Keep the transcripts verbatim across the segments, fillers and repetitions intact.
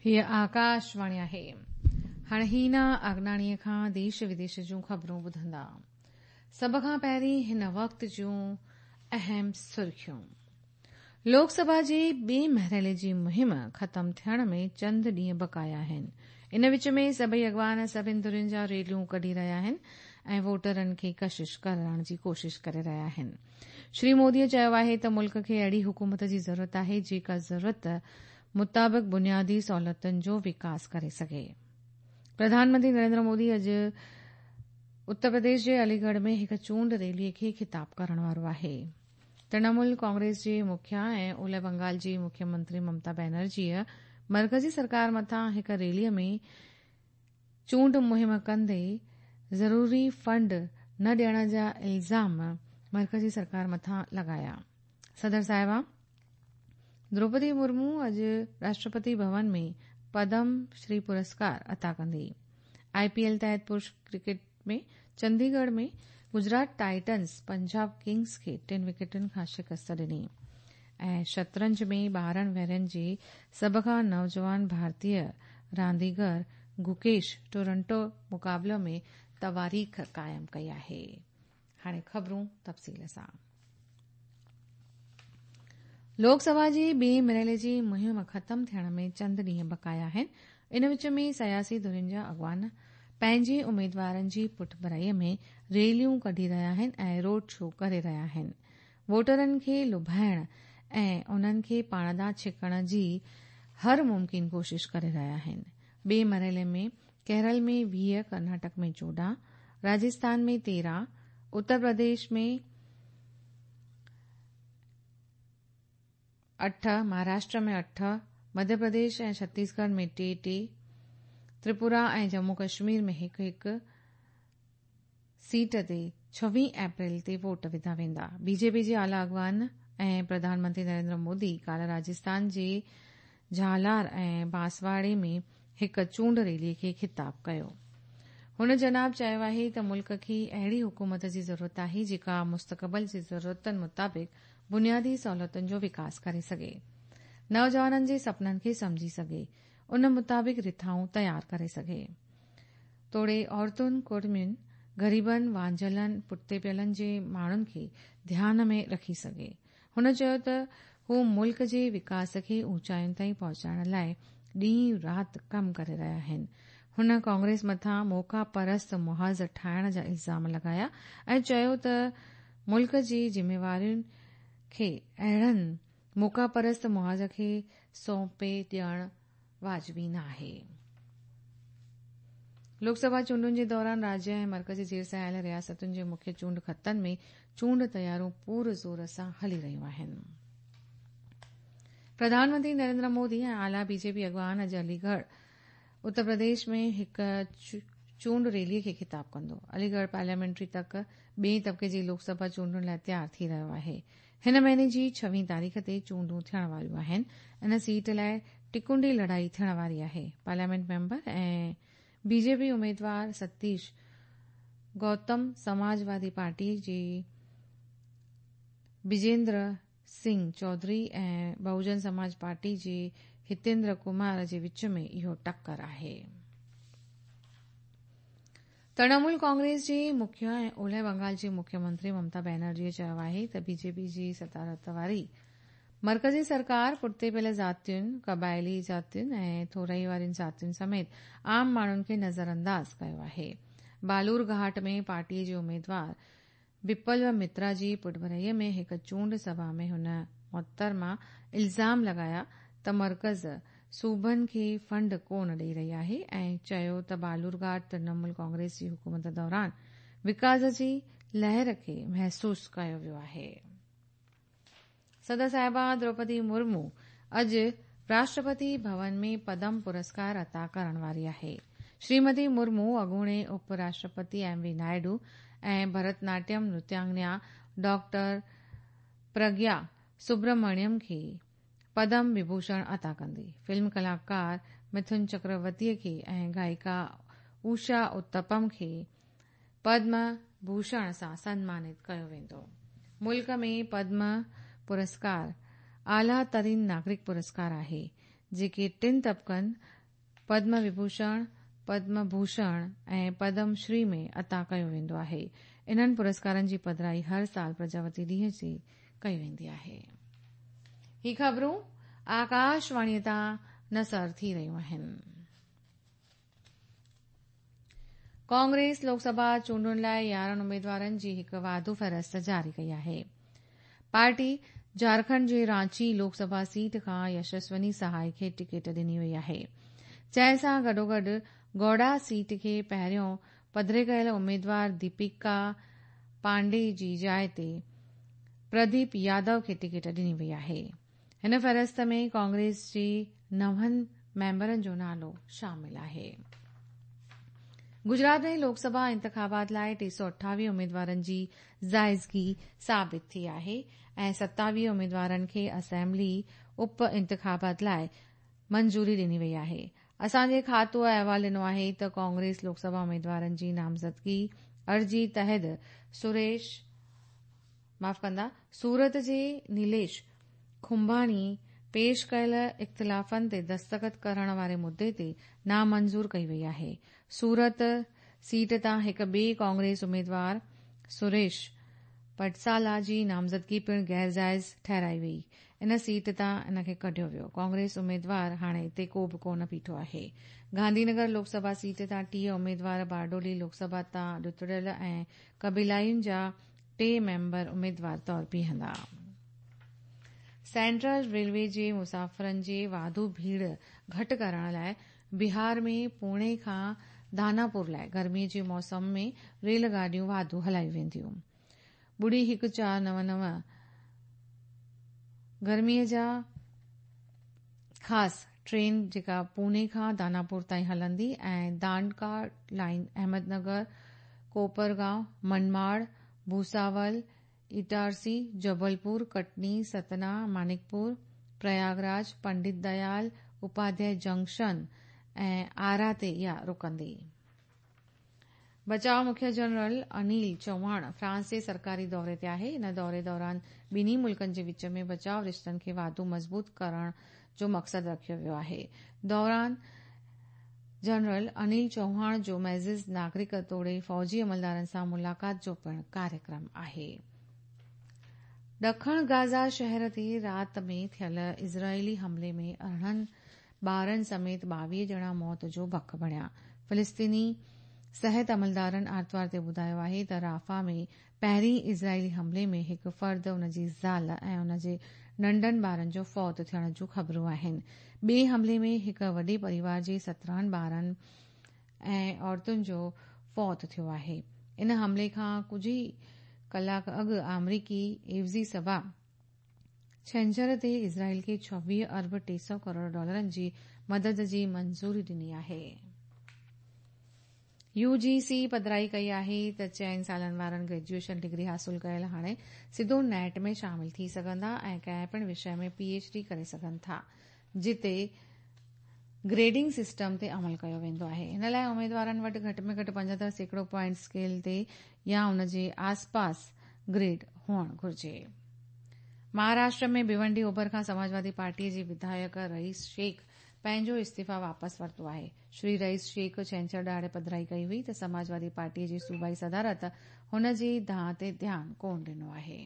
हीअ आकाशवाणी आहे। हाणे हीना अगनाणीअ खां देश विदेश जूं ख़बरूं ॿुधंदा। सभ खां पहिरीं हिन वक़्त जूं अहम सुर्खियूं। लोकसभा जे ॿिए मरहले जी मुहिम ख़तम थियण में चंद ॾींहं बक़ाया आहिनि। इन विच में सभई अॻवान सभिनी धुरियुनि जा रैलियूं कढी रहिया आहिनि ऐं वोटरनि खे कशिश करण जी कोशिश करे रहिया आहिनि। श्री मोदीअ चयो आहे त मुल्क खे अहिड़ी हुकूमत जी ज़रूरत आहे जेका ज़रूरत मुताबिक़ बुनियादी सहूलियतुनि जो विकास करे सघे। प्रधानमंत्री नरेंद्र मोदी अॼु उत्तर प्रदेश जे अलीगढ़ में हिकु चूंड रैलीअ खे ख़िताब करण वारो आहे। तृणमूल कांग्रेस जे मुखिया ऐं ओलह बंगाल जी मुख्यमंत्री ममता बनर्जीअ मर्कज़ी सरकार मथां हिकु रैलीअ में चूंड मुहिम कंदे ज़रूरी फंड न ॾियण जा इल्ज़ाम मर्कज़ी सरकार मथां लॻाया। सदर साहिबा द्रौपदी मुर्मू अॼु राष्ट्रपति भवन में पद्म श्री पुरस्कार अता कंदी। आईपीएल तहत पुरुष क्रिकेट में चंडीगढ़ में गुजरात टाइटन्स पंजाब किंग्स खे टिनि विकेटुनि खां शिकस्त ॾिनी। ऐं शतरंज में ॿारहं वरहियनि जे सभ खां नौजवान भारतीय रांदीगर गुकेश टोरंटो मुक़ाबिलो में तवारीख़ क़ाइमु कई आहे। हाणे ख़बरूं तफ़सील सां। लोकसभा जे ॿिए मरहले जी मुहिम ख़तम थियण में चंद ॾींहं बक़ाया आहिनि। इन विच में सियासी धुरियुनि जा अॻवान पंहिंजे उमेदवारनि जी पुठभराईअ में रैलियूं कढी रहिया आहिनि ऐं रोड शो करे रहिया आहिनि। वोटरनि खे लुभाइण ऐं उन्हनि खे पाण ॾांहुं छिकण जी हर मुमकिन कोशिश करे रहिया आहिनि। ॿिए मरहले में केरल में वीह, कर्नाटक में चोॾहं, राजस्थान में तेरहं, उत्तर प्रदेश में अठ, महाराष्ट्र में अठ, मध्य प्रदेश ऐं छत्तीसगढ़ में टे टे, त्रिपुरा ऐं जम्मू कश्मीर में हिकु हिकु सीट ते छवीह अप्रैल ते वोट विधा वेंदा। बीजेपी जे आला अॻवान ऐं प्रधानमंत्री नरेंद्र मोदी काल्ह राजस्थान जे झालार ऐं बांसवाड़े में हिकु चूंड रैलीअ खे ख़िताब कयो। हुन जनाब चयो आहे त मुल्क खे अहिड़ी हुकूमत जी ज़रूरत आहे जेका मुस्तक़बिल जी ज़रूरतुनि मुताबिक़ बुनियादी सहूलियतुनि जो विकास करे सघे, नौजवाननि जे सपननि खे सम्झी सघे, उन मुताबिक़ रिथाऊं तयारु करे सघे, तोड़े औरतुनि, कुर्मियुनि, ग़रीबनि, वांझलनि, पुठिते पियलनि जे माण्हुनि खे ध्यान में रखी सघे। हुन चयो त हू मुल्क जे विकास खे ऊंचाइयुनि ताईं पहुचाइण लाइ ॾींहुं राति कमु करे रहिया आहिनि। हुन कांग्रेस मथां मौका परस्त मुहाज़ ठाहिण जा इल्ज़ाम लॻाया ऐं चयो त मुल्क जी ज़िम्मेवारियुनि खे अहिड़नि मौका परस्त मुहाज़ खे सौंपे ॾियणु वाजिबी न आहे। लोकसभा चूंडुनि जे दौरान राज्य ऐं मर्कज़ी ज़ेर सां आयल रियासतुनि जे मुख्य चूंड ख़तनि में चूंड तयारियूं पूर ज़ोर सां हली रहियूं आहिनि। प्रधानमंत्री नरेंद्र मोदी ऐं आला बीजेपी अॻवान अॼु अलीगढ़ उत्तर प्रदेश में हिकु चूंड रैलीअ खे ख़िताब कंदो। अलीगढ़ पार्लियामेंट्री तक ॿिए तबिके जी लोकसभा चूंडुनि लाइ तयारु थी रहियो आहे। हिन महीने जी छवीह तारीख़ ते चूंडूं थियण वारियूं आहिनि। इन सीट लाइ टिकुंडी लड़ाई थियण वारी आहे। पार्लियामेंट मेंबर ऐं बीजेपी उमेदवार सतीश गौतम समाजवादी पार्टी जे बिजेंद्र सिंह चौधरी ऐं बहुजन समाज पार्टी जे हितेंद्र कुमार जे विच में इहो टक्कर आहे। तृणमूल कांग्रेस जे मुखिया ऐं ओलह बंगाल जी मुख्यमंत्री ममता बनर्जीअ चयो आहे त बीजेपी जी सदारत वारी मर्कज़ी सरकार पुठिते पियल ज़ातियुनि, क़बाइली ज़ातियुनि ऐं थोराई वारियुनि ज़ातियुनि समेत आम माण्हुनि खे नज़रअंदाज़ कयो आहे। बालूर घाट में पार्टीअ जे उमेदवार बिप्लव मित्रा जी पुठभराईअ में हिकु चूंड सभा में हुन मोहतरमा इल्ज़ाम लॻाया त मर्कज़ सूबनि खे फंड कोन ॾेई रही आहे ऐं चयो त बालूरघाट तृणमूल कांग्रेस जी हुकूमत दौरान विकास जी लहर खे महसूस कयो वियो आहे। सदर साहिबा द्रौपदी मुर्मू अॼु राष्ट्रपति भवन में पद्म पुरस्कार अता करण वारी आहे। श्रीमती मुर्मू अॻूणे उप राष्ट्रपति एम वी नायडू ऐं भरतनाट्यम नृत्यांगना डॉक्टर प्रज्ञा सुब्रमण्यम खे पद्म विभूषण अता कंदी। फिल्म कलाकार मिथुन चक्रवर्तीअ खे ऐं गायिका उषा उत्तपम खे पद्म भूषण सां सम्मानित कयो वेंदो। मुल्क में पद्म पुरस्कार आला तरीन नागरिक पुरस्कार आहे, जेके टिनि तबकनि पद्म विभूषण, पद्म भूषण ऐं पद्म श्री में अता कयो वेंदो आहे। इन्हनि पुरस्कारनि जी पधराई हर साल प्रजावती ॾींहं ते कई वेंदी आहे। ही ख़बरूं आकाशवाणीअ तां नसर थी रहियूं आहिनि। कांग्रेस लोकसभा चूंडुनि लाइ यारहं उमेदवारनि जी हिकु वाधू फ़हरिस्त जारी कई आहे। पार्टी झारखंड जे रांची लोकसभा सीट खां यशस्वनी सहाय खे टिकेट ॾिनी वई आहे, जंहिं सां गॾोगॾु गौड़ा सीट खे पहिरियों पधरे कयल उमेदवार दीपिका पांडे जी जाइ ते प्रदीप यादव खे टिकेट ॾिनी वई आहे। हिन फ़हरिस्त में कांग्रेस जे नवनि मेंबरनि जो नालो शामिल आहे। गुजरात में लोकसभा इंतिखाबात लाइ टे सौ अठावीह उमेदवारनि जी ज़ाइज़गी साबित थी आहे ऐं सतावीह उमेदवारनि खे असेंबली उप इंतिखाबात लाइ मंजूरी ॾिनी वई आहे। असांजे खातो अहवाल ॾिनो आहे त कांग्रेस लोकसभा उमेदवारनि जी नामज़दगी अर्जी तहत सुरेश माफ़ कंदा सूरत जे नीलेश खुंबाणी पेश कयल इख़्तिलाफ़नि ते दस्तख़त करण वारे मुद्दे ते नामंज़ूर कई वई आहे। सूरत सीट तां हिकु ॿिए कांग्रेस उमेदवार सुरेश पटसाला जी नामज़दगी पिणु गैर जाइज़ ठहिराई वई। इन सीट तां इन खे कढियो वियो। कांग्रेस उमेदवार हाणे हिते को बि कोन बीठो आहे। गांधीनगर लोकसभा सीट तां टीह उमेदवार, बारडोली लोकसभा तां ॾुतड़ियल ऐं क़बीलायुनि जा टे मेंबर उमेदवार तौर बीहंदा। सेंट्रल रेलवे जे मुसाफ़िरनि जे वाधू भीड़ घटि करण लाइ बिहार में पुणे खां दानापुर लाइ गर्मीअ जे मौसम में रेल गाॾियूं वाधू हलायूं वेंदियूं। ॿुड़ी हिकु चारि नव नव गर्मीअ जा ख़ासि ट्रेन जेका पुणे खां दानापुर ताईं हलंदी ऐं दांडका लाइन अहमदनगर, कोपरगांव, मनमाड़, भूसावल, इटारसी, जबलपुर, कटनी, सतना, मानिकपुर, प्रयागराज, पंडित दयाल उपाध्याय जंक्शन ऐं आरा ते इहा रुकंदी। बचाव मुख्य जनरल अनिल चौहान फ्रांस जे सरकारी दौरे ते आहे। इन दौरे दौरान ॿिन्ही मुल्कनि जे विच में बचाव रिश्तनि खे वाधू मज़बूत करण जो मक़सदु रखियो वियो आहे। दौरान जनरल अनिल चौहान जो मैज़िज़ नागरिक तोड़े फ़ौजी अमलदारनि सां मुलाक़ात जो पिणु कार्यक्रम आहे। ॾखण गाज़ा शहर ते राति में थियल इज़राइली हमले में अरिड़हं ॿारनि समेत ॿावीह ॼणा मौत जो बक बणिया। फ़िलिस्तीनी सिहत अमलदारनि आरतवार ते ॿुधायो आहे त राफ़ा में पहिरीं इज़राइली हमले में हिकु फ़र्द, उन जी ज़ाल ऐं उन जे नंढनि ॿारनि जो फौत थियण जूं ख़बरूं आहिनि। ॿिए हमले में हिकु वॾे परिवार जे सत्रहं ॿारनि ऐं औरतुनि जो फौत थियो आहे। इन हमले खां कुझु ई कलाक अॻु आमरीकी एवज़ी सभा छंछर ते इज़राइल खे छवीह अरब टे सौ करोड़ डॉलरनि जी मदद जी मंज़ूरी ॾिनी आहे। यूजीसी पधराई कई आहे त चइनि सालनि वारनि ग्रेजुएशन डिग्री हासिल कयल हाणे सिधो नेट में शामिल थी सघंदा ऐं कंहिं पिणु विषय में पीएचडी करे सघनि था, जिते ग्रेडिंग सिस्टम ते अमल कयो वेंदो आहे। इन लाइ उमेदवारनि वटि घटि में घटि पंजहतरि सैकड़ो पॉइंट स्केल ते या उन जे आसपास ग्रेड हुअणु घुरिजे। महाराष्ट्र में भिवंडी ओभर खां समाजवादी पार्टीअ जे विधायक रईस शेख पंहिंजो इस्तीफ़ा वापसि वरितो आहे। श्री रईस शेख छंछर ॾिहाड़े पधराई कई हुई त समाजवादी पार्टीअ जी सूबाई सदारत हुन जी दांह ते ध्यानु कोन ॾिनो आहे।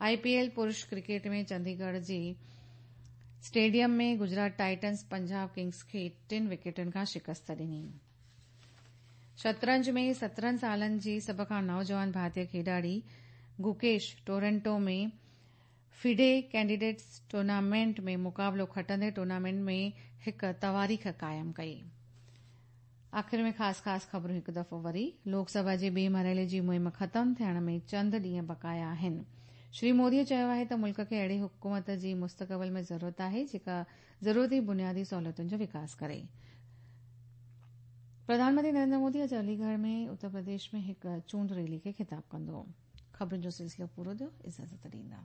आईपीएल पुरुष क्रिकेट में चंडीगढ़ जे स्टेडियम में गुजरात टाइटन्स पंजाब किंग्स खे टिनि विकेटनि खां शिकस्त ॾिनी। शतरंज में सत्रहं सालनि जी सभ खां नौजवान भारतीय खिॾाड़ी गुकेश टोरंटो में फिडे कैंडिडेट्स टूर्नामेंट में मुक़ाबिलो खटंदे टूर्नामेंट में हिकु तवारीख़ क़ाइमु कई। आख़िर में ख़ासि ख़ासि ख़बरूं हिकु दफ़ो वरी। लोकसभा जे ॿिए मरहले जी मुहिम ख़तमु थियण में चंद ॾींहं बक़ाया आहिनि। श्री मोदीअ चयो आहे त मुल्क खे अहिड़ी हुकूमत जी मुस्तक़बिल में ज़रूरत आहे जेका ज़रूरती बुनियादी सहूलियतुनि जो विकास करे। प्रधानमंत्री नरेंद्र मोदी अॼु अलीगढ़ में उत्तर प्रदेश में हिकु चूंड रैली खे ख़िताब कंदो। ख़बरुनि जो सिलसिलो पूरो थियो। इजाज़त ॾींदा।